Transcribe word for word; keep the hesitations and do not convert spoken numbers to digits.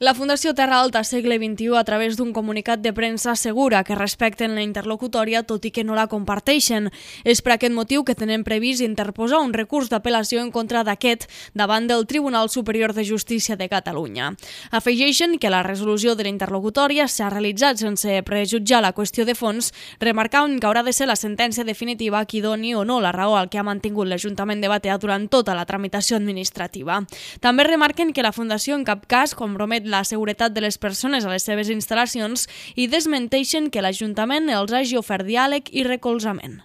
La Fundació Terra Alta Segle vint-i-u, a través d'un comunicat de premsa, assegura que respecten la interlocutòria tot i que no la comparteixen. És per aquest motiu que tenen previst interposar un recurs d'apel·lació en contra d'aquest davant del Tribunal Superior de Justícia de Catalunya. Afegeixen que la resolució de la interlocutòria s'ha realitzat sense prejutjar la qüestió de fons, remarcant que haurà de ser la sentència definitiva qui doni o no la raó al que ha mantingut l'Ajuntament de Batea durant tota la tramitació administrativa. També remarquen que la Fundació en cap cas compromet la seguretat de les persones a les seves instal·lacions i desmenteixen que l'Ajuntament els hagi ofert diàleg i recolzament.